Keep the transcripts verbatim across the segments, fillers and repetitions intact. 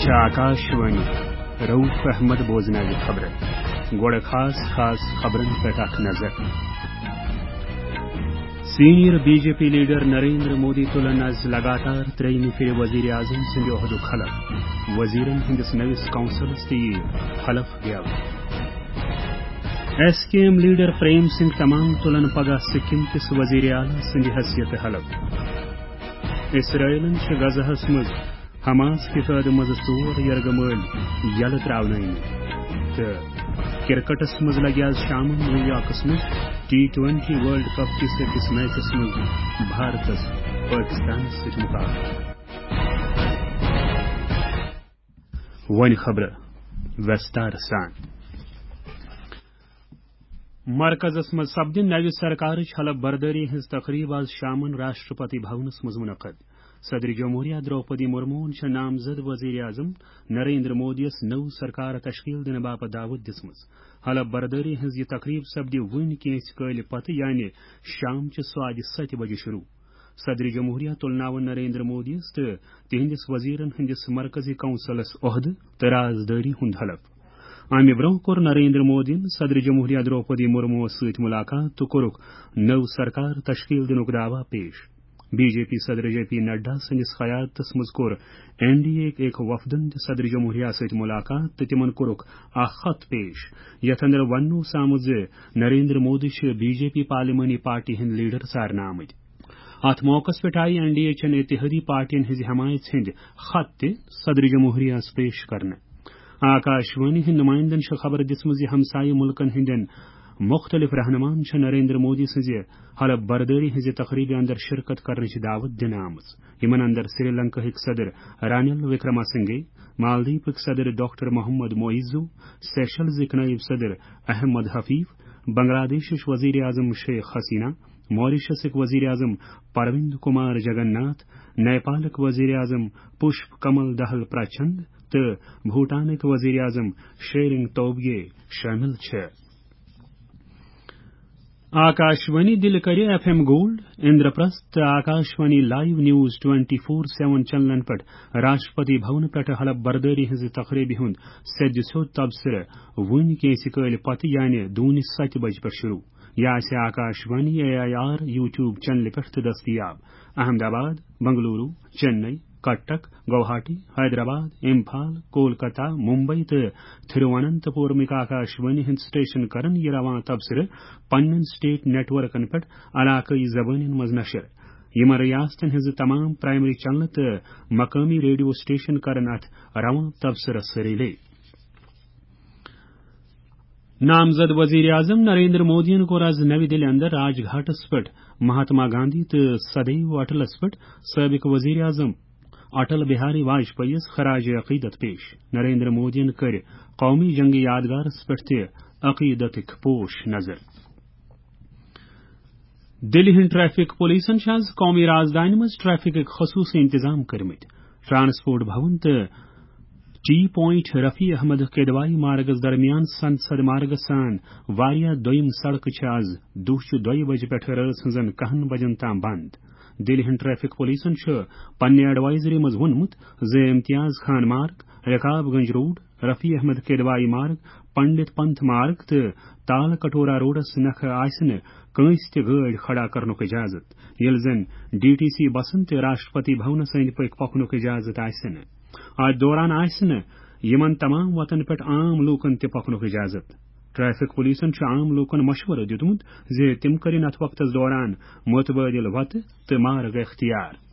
چھِ آکاشوانی۔ رؤف احمد بوزناوِ خبرٕ۔ گۄڈٕ خاص خاص خبرن پٮ۪ٹھ اکھ نظر۔ Senior B J P leader Narendra Modi تُلن از لگاتار ترٛیٚیِمہِ پھِرِ وزیر اعظم سٕنٛدِ عہدُک حلف۔ وزیرن ہٕنٛدِس نٔوِس کونسلس تہِ یِیہِ حلف گٮ۪و۔ ایس کے ایم لیڈر پریم سنگھ تمانگ تُلن پگاہ سکم کِس وزیر اعلیٰ سٕنٛدِ حیثیتہٕ حلف۔ اسرائیلن چھِ غزہس منٛز حماس کہِ قٲدٕ منٛزٕ ژور یرغہٕ مٲلۍ یلہٕ ترٛاونٲومٕتۍ۔ تہٕ کرکٹس منٛز لگہِ آز شامن نیو یارکس منٛز ٹی ٹوینٹی ورلڈ کپ کِس أکِس میچس منٛز بھارتس پٲکستانس سۭتۍ مقابلہٕ۔ وۄنۍ خبرٕ وستار سان۔ مرکزس منٛز سپدِ نوِ سرکارٕچ حلف بردٲری ہٕنٛز تقریب آز شامن راشٹرپتی بھونس منٛز منعقد۔ صدر جمہوریہ درٛوپدی مرموہن چھےٚ نامزد وزیر اعظم نریندر مودیَس نٔو سرکار تشکیل دِنہٕ باپتھ دعوت دِژمٕژ۔ حلف بردٲری ہٕنٛز یہِ تقریب سپدِ وُنۍ کینٛژھِ کٲلہِ پتہٕ، یعنی شام چہِ ساڑِ ستہِ بجہِ شروع۔ صدر جمہوریہ تُلناوَن نریندر مودیَس تہٕ تِہنٛدِس وزیرن ہٕنٛدِس مرکزی کونسلس عہدٕ تہٕ رازدٲری ہُنٛد حلف۔ امہِ برٛونٛہہ کوٚر نریندر مودیَن صدر جمہوریہ درٛوپدی مرموَس سۭتۍ ملاقات تہٕ کوٚرُکھ نٔو سرکار تشکیل دِنُک دعویٰ پیش۔ بی جے پی صدر جے پی نڈا سٕنٛدِس قیادتس منٛز کوٚر این ڈی اے یٕکۍ أکۍ وفدن تہِ صدر جمہوریہ سۭتۍ ملاقات تہٕ تِمن کوٚرُکھ اکھ خط پیش، یتھ اندر وننہٕ اوس آمُت زِ نریندر مودی چھِ بی جے پی پارلیمانی پارٹی ہٕنٛدۍ لیڈر ژارنہٕ آمٕتۍ۔ اتھ موقعس پٮ۪ٹھ آیہِ این ڈی اے چٮ۪ن اتحادی پارٹین ہٕنٛزِ حمایژ ہٕنٛدۍ خط تہِ صدر جمہوریہس پیش کرنہٕ۔ آکاشوانی ہٕنٛدۍ نمائندن چھِ خبر دِژمٕژ زِ ہمسایہِ مُلکن ہٕنٛدٮ۪ن مُختٔلِف رہنُماہن چھِ نریندر مودی سٕنٛزِ حلف بردٲری ہٕنٛزِ تقریبہِ اندر شرکت کرنٕچ دعوت دِنہٕ آمٕژ، یِمن اندر سری لنکاہٕکۍ صدر رانیل وکرما سنگھے، مالدیپٕکۍ صدر ڈاکٹر محمد معیزو، سیشلزٕکۍ نٲیِب صدر احمد حفیف، بنگلہ دیشٕچ وزیر اعظم شیخ حسینہ، ماریشسٕکۍ وزیر اعظم پروند کمار جگن ناتھ، نیپالٕکۍ وزیر اعظم پشپ کمل دہل پرچند تہٕ بھوٹانٕکۍ وزیر اعظم شیرنگ توبگے شٲمِل چھِ۔ آکاشوانی دِلہِ کرِ ایف ایم گولڈ، اندرپرست تہٕ Akashvani live news twenty four seven چینلن پٮ۪ٹھ راشٹرپتی بھونہٕ پٮ۪ٹھٕ حلف بردٲری ہٕنٛزِ تقریبہِ ہُنٛد سیٚدِ سیوٚد تبصرٕ وُنہِ کینٛژِ کٲلہِ پتہٕ، یعنی دوٗنہِ ستہِ بجہِ پٮ۪ٹھ شروع۔ یہِ آسہِ Akashvani A I R YouTube چینلہِ پٮ۪ٹھ تہِ دٔستیاب۔ احمد آباد، بنگلورو، چنئی، کٹک، گوہاٹی، حیدرآباد، امپھال، کولکتہ، ممبئی تہٕ تھرواننت پورمٕکۍ آکاشوانی ہٕنٛدۍ سٹیشن کرن یہِ رواں تبصرٕ پننٮ۪ن سٹیٹ نیٹ ورکن پٮ۪ٹھ علاقٲیی زبٲنٮ۪ن منٛز نشر۔ یِمن ریاستن ہٕنٛزٕ تمام پرائمری چینلہٕ تہٕ مقٲمی ریڈیو سٹیشن کرن اتھ رواں تبصرس رِلے۔ نامزد وزیر اعظم نریندر مودیَن کوٚر آز نَوِ دِلہِ اندر راج گھاٹس پٮ۪ٹھ مہاتما گاندھی تہٕ سدیو اٹلس پٮ۪ٹھ سٲبق وزیر اعظم اٹل بہاری واجپئی یَس خراج عقیدت پیش۔ نریندر مودیَن کٔرۍ قومی جنگی یادگارس پٮ۪ٹھ تہِ عقیدتٕکۍ پوش نظر۔ دِلہِ ہٕنٛدۍ ٹریفک پولیسن چھِ آز قومی رازدانہِ منٛز ٹریفکٕکۍ خصوٗصی انتظام کٔرمٕتۍ۔ ٹرانسپورٹ بھون تہٕ T point Rafi Ahmad کدوایی Margus درمیان سنسد مارگس سان واریاہ دوٚیِم سڑکہٕ چھِ آز دُہچہِ دۄیہِ بجہِ پٮ۪ٹھ رٲژ ہٕنٛزن کاہن بجن تام بند۔ دِلہِ ہٕنٛدۍ ٹریفک پولیسن چھُ پننہِ ایڈوائزری منٛز ووٚنمُت زِ امتیاز خان مارگ، رکاب گنج روڈ، رفیع احمد کدوایی مارگ، پنڈت پنتھ مارگ تہٕ تال کٹورا روڈس نکھٕ آسہِ نہٕ کٲنٛسہِ تہِ گٲڑۍ کھڑا کرنُک اجازت، ییٚلہِ زن ڈی ٹی سی بسن تہِ راشٹرپتی بھونس أنٛدۍ پٔکۍ پکنُک اجازت آسہِ نہٕ۔ اتھ دوران آسہِ نہٕ یِمن تمام وتن پٮ۪ٹھ عام لوٗکن تہِ پکنُک اجازت۔ ٹریفک پولیسن چھُ عام لوٗکن مشورٕ دیُتمُت زِ تِم کٔرِن اتھ وقتس دوران متبادل وتہٕ تہٕ مارگ اختیار۔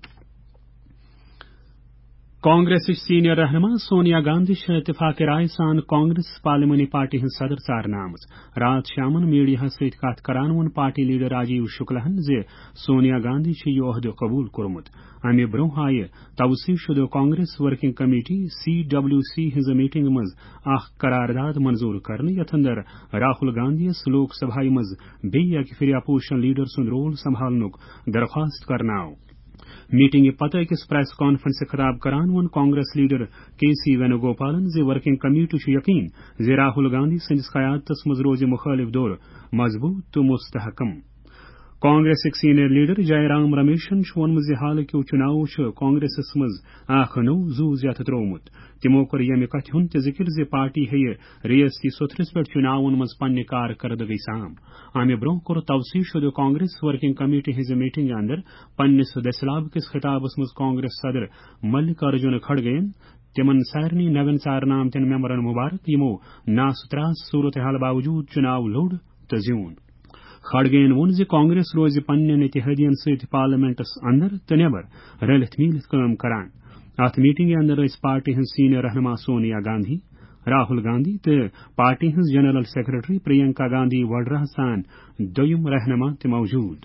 کانگریسٕچ سینئر رہنما سونیا گاندھی چھےٚ اتفاق رائے سان کانگریس پارلیمانی پارٹی ہٕنٛز صدر ژارنہٕ آمٕژ۔ راتھ شامن میڈیاہس سۭتۍ کتھ کران ووٚن پارٹی لیڈر راجیو شکلہن زِ سونیا گاندھی چھُ یہِ عہدٕ قبول کوٚرمُت۔ امہِ برٛونٛہہ آیہِ توسیع شدٕ Congress working committee, C W C, ہٕنٛزِ میٹنگ منٛز اکھ قرارداد منظور کرنہٕ، یتھ اندر راہل گاندھی یَس لوک سبھایہ منٛز بیٚیہِ اکہِ پھِرِ اپوزیشن لیڈر سُنٛد رول سنبھالنُک درخواست کرنہٕ آو۔ میٹنگہِ پتہٕ أکِس پریس کانفرنسہِ خطاب کران ووٚن کانگریس لیڈر کے سی وینوگوپالن زِ ورکنگ کمیٹی چھُ یقین زِ راہل گاندھی سٕنٛدِس قیادتس منٛز روزِ مخٲلف دھر مضبوط تہٕ مستحکم۔ کانگریسٕکۍ سینئر لیڈر جے رام رمیشن چھُ ووٚنمُت زِ حالٕکیو چُناوو چھُ کانگریسس منٛز اکھ نوٚو زُو زیتھ ترٛوومُت۔ تِمو کوٚر ییٚمہِ کتھِ ہُنٛد تہِ ذِکِر زِ پارٹی ہیٚیہِ ریاستی سوٚتھرِس پٮ۪ٹھ چُناون منٛز پننہِ کارکردگی سام۔ امہِ برٛونٛہہ کوٚر توسیع شُدٕ کانگریس ورکنگ کمیٹی ہٕنٛزِ میٹنگہِ اندر پننِس دٔسِلاب کِس خطابس منٛز کانگریس صدر ملک ارجن کھڑگے یَن تِمن سارنٕے نوٮ۪ن ژارنہٕ آمتٮ۪ن ممبرن مبارک، یِمو ناس تراس صورتحال باوجود چُناو لوٚڑ تہٕ زیوٗن۔ کھڑگے یَن ووٚن زِ کانگریس روزِ پننٮ۪ن اتحادین سۭتۍ پارلیمنٹس اندر تہٕ نٮ۪بر رلِتھ میٖلِتھ کٲم کران۔ اتھ میٹنگہِ اندر ٲسۍ پارٹی ہٕنٛز سینئر رہنما سونیا گاندھی، راہل گاندھی تہٕ پارٹی ہٕنٛز جنرل سیکرٹری پرینکا گاندھی وڈراہس سان دوٚیم رہنما تہِ موجود۔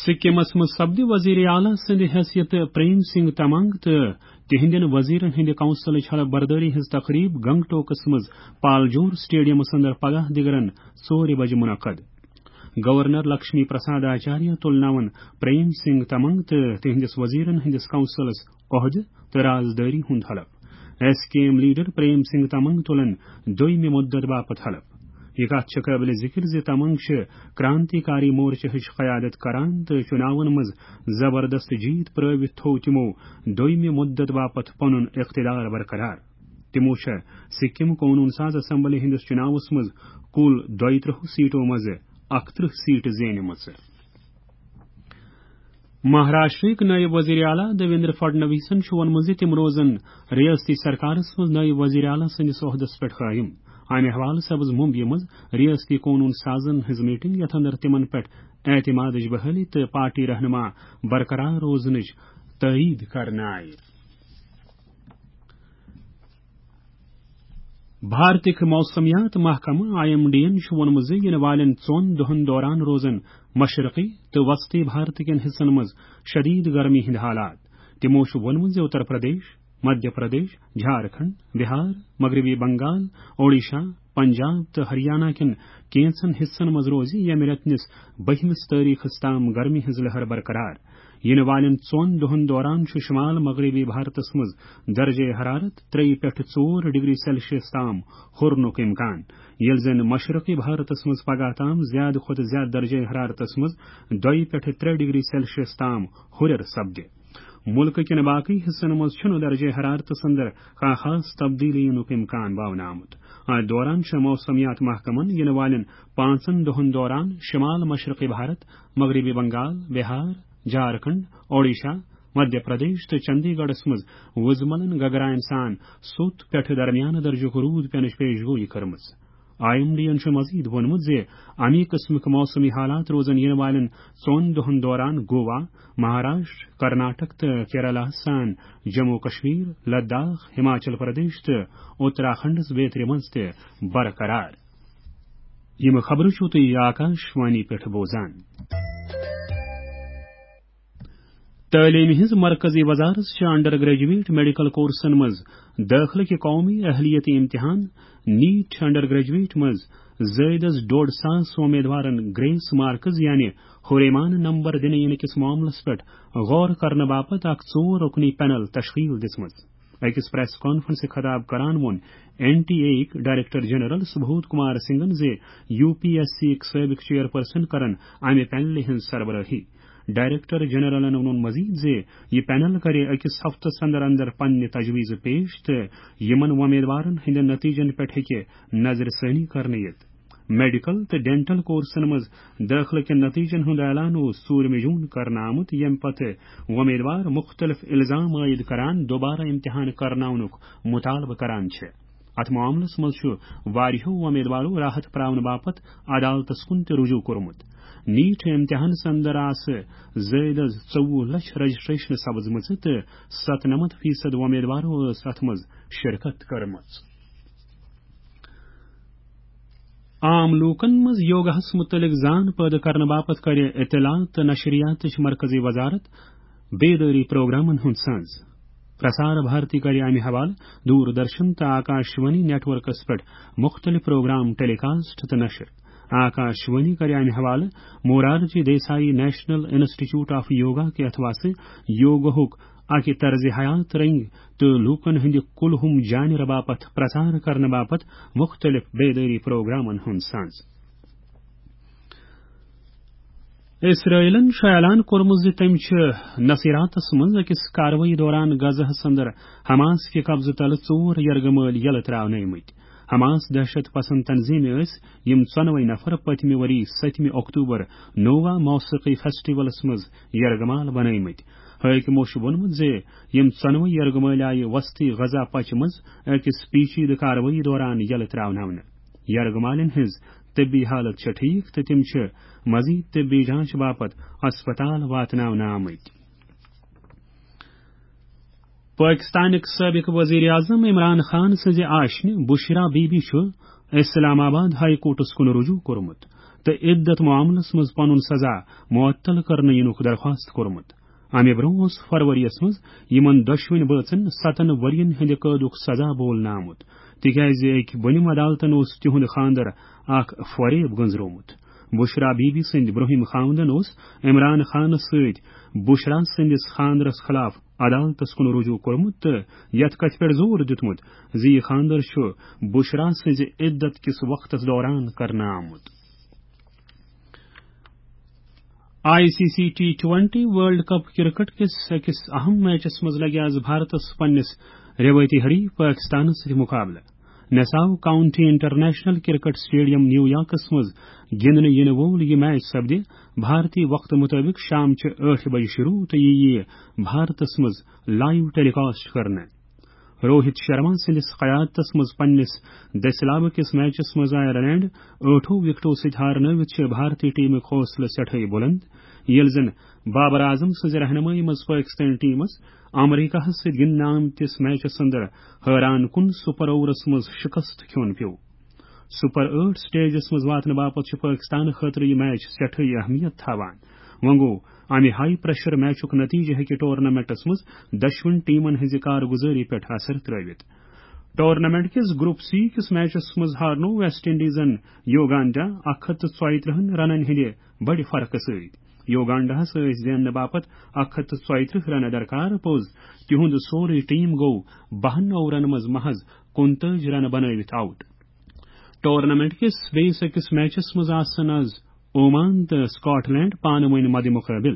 سکمس منٛز سپدِ وزیر اعلیٰ سٕنٛدِ حیثیت پریم سنگھ تمنگ تہٕ تِہنٛدٮ۪ن وزیرن ہٕنٛدِ کونسلٕچ حلف بردٲری ہٕنٛز تقریب گنگٹوکس منٛز پالجور سٹیڈیمس اندر پگاہ دِگرن ژورِ بجہِ منعقد۔ گورنر لکشمی پرساد آچاریہ تُلناوَن پریم سنگھ تمنگ تہٕ تِہنٛدِس وزیرن ہٕنٛدِس کونسلس عہدٕ تہٕ رازدٲری ہُنٛد حلف۔ ایس کے ایم لیڈر پریم سنگھ تمنگ تُلن دوٚیمہِ مدت باپتھ حلف۔ یہِ کتھ چھِ قٲبلِ ذِکِر زِ تمنگ چھِ کرانتی کاری مورچہٕچ قیادت کران تہٕ چُناون منٛز زبردست جیت پرٲوِتھ تھوو تِمو دوٚیمہِ مدت باپتھ پنُن اقتدار برقرار۔ تِمو چھےٚ سکم قونوٗن ساز اسمبلی ہٕنٛدِس چُناوس منٛز کُل دۄیہِ ترٕٛہ سیٹو منٛز اکترٕٛہ سیٹ زینِمژٕ۔ مہاراشٹرٕکۍ نٲیِب وزیر اعلیٰ دیویندر فڈنویسن چھُ ووٚنمُت زِ تِم روزن ریاستی سرکارس منٛز نٲیِب وزیر اعلیٰ سٕنٛدِس عہدس پٮ۪ٹھ قٲیِم۔ امہِ حوالہٕ سپٕز ممبیہِ منٛز ریاستی قونوٗن سازن ہٕنٛز میٹنگ، یتھ اندر تِمن پٮ۪ٹھ اعتمادٕچ بحٲلی تہٕ پارٹی رہنما برقرار روزنٕچ تٲیید کرنہٕ آیہِ۔ بھارتٕکۍ موسمیات محکمہٕ، آئی ایم ڈی یَن چھُ ووٚنمُت زِ یِنہٕ والٮ۪ن ژۄن دۄہَن دوران روزَن مشرقی تہٕ وسطی بھارت کٮ۪ن حصن منٛز شدید گرمی ہٕنٛدۍ حالات۔ تِمَو چھُ ووٚنمُت زِ اتر پردیش، مدھیہ پردیش، جھارکھنڈ، بہار، مغربی بنگال، اوڈیشہ، پنجاب تہٕ ہریانہ کٮ۪ن کینٛژن حصن منٛز روزِ ییٚمہِ رٮ۪تہٕ نِس بٔہمِس تٲریخس تام گرمی ہٕنٛز لہر برقرار۔ یِنہٕ والٮ۪ن ژۄن دۄہَن دوران چھُ شمال مغربی بھارتس منٛز درجہ حرارت ترٛیٚیہِ پٮ۪ٹھ ژور ڈگری سیلسیس تام ہُرنُک امکان، ییٚلہِ زن مشرقی بھارتس منٛز پگاہ تام زیادٕ کھۄتہٕ زیادٕ درجہ حرارتس منٛز دۄیہِ پٮ۪ٹھ ترٛےٚ ڈگری سیلسیس تام ہُرٮ۪ر سپدِ۔ مُلکہٕ کٮ۪ن باقٕے حصن منٛز چھُنہٕ درجہ حرارتس اندر کانٛہہ خاص تبدیلی یِنُک امکان باونہٕ آمُت۔ اتھ دوران چھُ موسمیات محکمن یِنہٕ والٮ۪ن پانٛژن دۄہَن دوران شمال مشرقی بھارت، مغربی بنگال، بہار، جھارکھنڈ، اوڈیشہ، مدھیہ پردیش تہٕ چندی گڑھس منٛز وُزملن گگراین سان سوٚت پٮ۪ٹھٕ درمیانہٕ درجُک روٗد پینٕچ پیش گویی کٔرمٕژ۔ آئی ایم ڈی یَن چھُ مزید ووٚنمُت زِ اَمی قٕسمٕک موسمی حالات روزن یِنہٕ والٮ۪ن ژۄن دۄہَن دوران گوا، مہاراشٹر، کرناٹک تہٕ کیرالہ سان جموں و کشمیر، لداخ، ہماچل پردیش تہٕ اتراکھنڈس بیترِ منٛز تہِ برقرار۔ یِم خبرٕ چھِو تُہۍ آکاش وانی پٮ۪ٹھ بوزان۔ تعلیٖم ہٕنٛز مرکزی وزارت چھِ انڈر گریجویٹ میڈیکل کورسن منٛز دٲخلہٕ کہِ قومی اہلیت امتحان، نیٹ انڈر گریجویٹ منٛز زٲیدس ڈوڈ ساس امیدوارن گریس مارکس یعنی ہُریمان نمبر دِنہٕ یِنہٕ کِس معاملس پٮ۪ٹھ غور کرنہٕ باپتھ اکھ ژور رُکنی پینل تشکیل دِژمٕژ۔ أکِس پریس کانفرنسہِ خطاب کران ووٚن این ٹی اے یِک ڈائریکٹر جنرل سبودھ کمار سنگھن زِ یو پی ایس سی یِک سٲبق چیئرپرسن کرن امہِ پینلہِ ہٕنٛز سربرٲہی۔ ڈائریکٹر جنرلن ووٚن مزید زِ یہِ پینل کرِ أکِس ہفتس اندر اندر پننہِ تجویزٕ پیش تہٕ یِمن وۄمیدوارن ہٕنٛدٮ۪ن نتیجن پٮ۪ٹھ ہیٚکہِ نظرِ ثٲنی کرنہٕ یِتھ۔ میڈیکل تہٕ ڈینٹل کورسن منٛز دٲخلہٕ کٮ۪ن نتیجن ہُنٛد اعلان اوس ژوٗرمہِ جون کرنہٕ آمُت، ییٚمہِ پتہٕ وۄمیدوار مُختٔلِف الزام عائد کران دوبارٕ امتحان کرناونُک مطالبہٕ کران چھِ۔ اتھ معاملس منٛز چھُ واریاہو وۄمیدوارو راحت پراونہٕ باپتھ عدالتس کُن تہِ رجوع کوٚرمُت۔ نیٹ امتحانس اندر آسہٕ زٲیدٕ ژوٚوُہ لچھ رجسٹریشنہٕ سپزمٕژ تہٕ ستنمتھ فیصد وۄمیدوارو ٲس اتھ منٛز شرکت کٔرمٕژ۔ عام لوٗکن منٛز یوگاہس مُتعلق زان پٲدٕ کرنہٕ باپتھ کرِ اطلاعات تہٕ نشریاتٕچ مرکزی وزارت بیدٲری پروگرامن ہُنٛد سنز۔ پرسار بھارتی کرِ امہِ حوالہٕ دوٗر درشن تہٕ آکاش وانی نیٹ ورکس پٮ۪ٹھ مُختٔلِف پروگرام ٹیلی کاسٹ تہٕ نشر۔ آکاش وانی کرِ امہِ حوالہٕ Morarji Desai national institute of yoga کہِ اتھواسہٕ یوگاہُک اکہِ طرزِ حیات رنگۍ تہٕ لوٗکن ہٕنٛدِ کُلہُم جانہِ باپتھ پرسار کرنہٕ باپتھ مُختٔلِف بیدٲری پروگرامن ہُنٛد سنز۔ اسرائیلن چھُ اعلان کوٚرمُت زِ تٔمۍ چھِ نصیراتس منٛز أکِس کاروٲیی دوران غزہس اندر حماس کہِ قبضہٕ تلہٕ ژور یرغمٲلۍ یلہٕ ترٛاونٲومٕتۍ۔ حماس دہشت پسند تنظیمہِ ٲسۍ یِم ژۄنوَے نفر پٔتمہِ ؤری ستمہِ اکتوبر نووا موسیقی فیسٹیولس منٛز یرغمال بنٲومٕتۍ۔ حٲکمو چھُ ووٚنمُت زِ یِم ژۄنوَے یرغمٲلۍ آیہِ وسطی غزہ پچہِ منٛز أکِس پیچیدٕ کاروٲیی دوران یلہٕ ترٛاوناونہٕ۔ یرغمالٮ۪ن ہٕنٛز طبی حالت چھےٚ ٹھیٖک تہٕ تِم چھِ مزید طبی جانچ باپتھ ہسپتال واتناونہٕ آمٕتۍ۔ پٲکِستانٕکۍ سٲبِق ؤزیٖر اعظم عمران خان سٕنٛزِ آشنہِ بُشرا بی بی چھُ اسلام آباد ہائی کورٹَس کُن رجوع کوٚرمُت تہٕ عدت معاملَس منٛز پنُن سزا معطل کرنہٕ یِنُک درخواست کوٚرمُت۔ اَمہِ برٛونٛہہ اوس فروری یَس منٛز یِمَن دۄشوٕنۍ بٲژَن سَتَن ؤرۍ یَن ہٕنٛدِ قٲدُک سزا بولنہٕ آمُت، تِکیازِ أکۍ بۄنِم عدالتَن اوس تِہُنٛد خانٛدر اکھ فریب گٔنٛزرومُت۔ بُشرا بی بی سٕنٛدۍ برٛونٛہِم خاوندَن اوس عمران خانَس سۭتۍ بُشرا سٕنٛدِس خانٛدرَس خلاف عدالتَس کُن رجوع کوٚرمُت تہٕ یَتھ کَتھِ پٮ۪ٹھ زور دیُتمُت زِ یہِ خانٛدر چھُ بُشرا سٕنٛزِ عدت کِس وقتَس دوران کرنہٕ آمُت۔ I C C T twenty world cup cricket کِس أکِس اہم میچَس منٛز لَگہِ آز بھارتَس پننِس رٮ۪وٲیتی حریف پٲکِستانَس سۭتۍ مُقابلہٕ۔ نساو کاؤنٹی انٹرنیشنل کرکٹ اسٹیڈیم نیو یارکَس منٛز گِنٛدنہٕ یِنہٕ وول یہِ میچ سپدِ بھارتی وقتہٕ مُطٲبِق شام چہِ ٲٹھِ بجہِ شروع تہٕ یہِ یِیہِ بھارتَس منٛز لائیو ٹیلی کاسٹ کرنہٕ۔ روہت شرما سٕنٛدِس قیادتس منٛز پننِس دٔسِلابہٕ کِس میچس منٛز آیرلینڈ ٲٹھو وکٹو سۭتۍ ہارنٲوِتھ چھِ بھارتی ٹیمٕکۍ حوصلہٕ سٮ۪ٹھٕے بُلند، ییٚلہِ زن بابر اعظم سٕنٛزِ رہنمٲیی منٛز پٲکِستٲنۍ ٹیمس امریکاہس سۭتۍ گِنٛدنہٕ آمتِس میچس اندر حٲران کُن سپر اوورس منٛز شکست کھیوٚن پیوٚو۔ سپر ٲٹھ سٹیجس منٛز واتنہٕ باپتھ چھُ پٲکِستان خٲطرٕ یہِ میچ سٮ۪ٹھٕے اہمیت تھاوان۔ وۄنۍ گوٚو، امہِ ہائی پریشر میچُک نتیجہٕ ہیٚکہِ ٹورنامنٹس منٛز دۄشوٕنۍ ٹیمن ہٕنٛزِ کارگُزٲری پٮ۪ٹھ اثر ترٲوِتھ۔ ٹورنامنٹ کِس گروپ سی کِس میچس منٛز ہارنوو ویسٹ انڈیزن یوگانڈا اکھ ہتھ تہٕ ژۄیہِ ترٕٛہن رنن ہٕنٛدِ بڑِ فرقہٕ سۭتۍ۔ یوگانڈاہس ٲسۍ زیننہٕ باپتھ اکھ ہتھ تہٕ ژۄیہِ ترٕٛہ رنہٕ درکار، پوٚز تِہُنٛد سورُے ٹیم گوٚو بَہَن اوورن منٛز محض کُنتٲجی رنہٕ بنٲوِتھ آؤٹ۔ ٹورنامنٹ کِس بیٚیِس أکِس میچس منٛز آسن از اومان تہٕ سکاٹ لینڈ پانہٕ ؤنۍ مدِ مُقٲبِل۔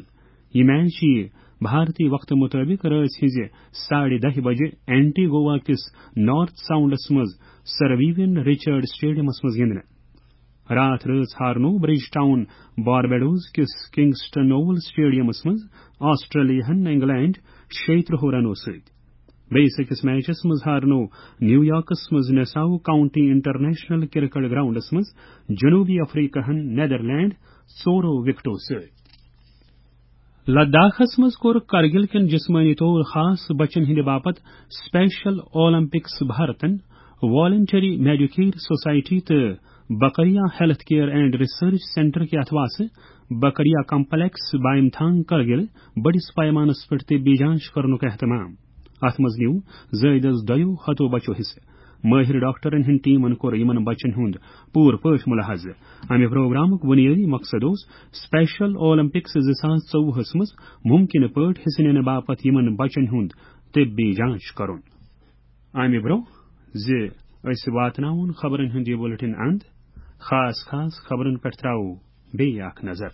یہِ میچ یِیہِ بھارتی وقتہٕ مُطٲبِق رٲژ ہٕنٛزِ ساڑِ دَہہِ بجہِ اینٹی گوا کِس نارتھ ساؤنڈس منٛز سر ویوین رچرڈ اسٹیڈیمس منٛز گِنٛدنہٕ۔ راتھ رٲژ ہارنوو برج ٹاؤن باربیڈوز کِس کنگسٹن اوول اسٹیڈیمس منٛز آسٹریلیاہن انگلینڈ شیٚیہِ ترٕٛہ رنو سۭتۍ۔ بیٚیِس أکِس میچس منٛز ہارنوو نیویارکس منٛز نساو کاؤنٹی انٹرنیشنل کرکٹ گراؤنڈس منٛز جنوبی افریقہن نیدرلینڈ ژورو وکٹو سۭتۍ۔ لداخس منٛز کوٚر کرگل کٮ۪ن جسمٲنی طور خاص بچن ہٕنٛدِ باپتھ اسپیشل اولمپکس بھارتن والنٹری میڈیکیئر سوسائٹی تہٕ Bakriya health care and research centre کہِ اتھواسہٕ بکریا کمپلیکس بایم تھانگ کرگل بٔڑِس پیمانس پٮ۪ٹھ طبی جانچ کرنُک اہتمام۔ اتھ منٛز نیوٗ زٲیدس دۄیو ہتو بچو حصہٕ۔ مٲہِر ڈاکٹرن ہٕنٛدۍ ٹیمن کوٚر یِمن بچن ہُنٛد پوٗرٕ پٲٹھۍ مُلاحظہٕ۔ امہِ پروگرامُک بُنیٲدی مقصد اوس اسپیشل اولمپکس زٕ ساس ژوٚوُہس منٛز مُمکِنہٕ پٲٹھۍ حصہٕ نِنہٕ باپتھ یِمن بچن ہُنٛد طبی جانچ کرُن۔ امہِ برٛونٛہہ زِ أسۍ واتناوون خبرن ہُنٛد یہِ بُلٹن اند، خاص خاص خبرن پٮ۪ٹھ ترٛاوو بیٚیہِ اکھ نظر۔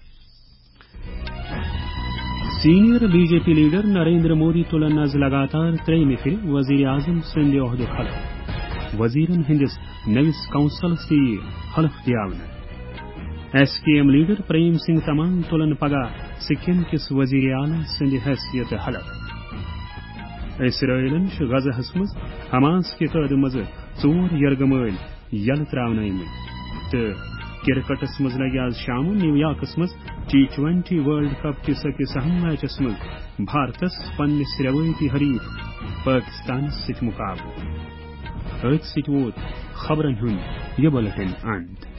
Senior B J P leader Narendra Modi تُلن از لگاتار ترٛیٚیمہِ پھِرِ وزیر اعظم سٕنٛدِ عہدُک حلف۔ وزیرن ہٕنٛدِس نٔوِس کونسلس تہِ یِیہِ حلف دِیاونہٕ۔ ایس کے ایم لیڈر پریم سنگھ تمنگ تُلن پگاہ سکم کِس وزیر اعلیٰ سٕنٛدِ حیثیتہٕ حلف۔ اسرائیلن چھُ غزہس منٛز حماس کہِ قٲدٕ منٛزٕ ژور یرغمٲلۍ یلہٕ ترٛاونٲومٕتۍ۔ تہٕ کرکٹس منٛز لگہِ آز شامہٕ نیویارکس منٛز ٹی ٹوئنٹی ورلڈ کپ کِس أکِس اہم میچس منٛز بھارتس پننِس رٮ۪وٲیتی حریف پٲکستانس سۭتۍ مُقابلہٕ۔ أتھۍ سۭتۍ ووت خبرن ہُنٛد یہِ بُلٹن اند۔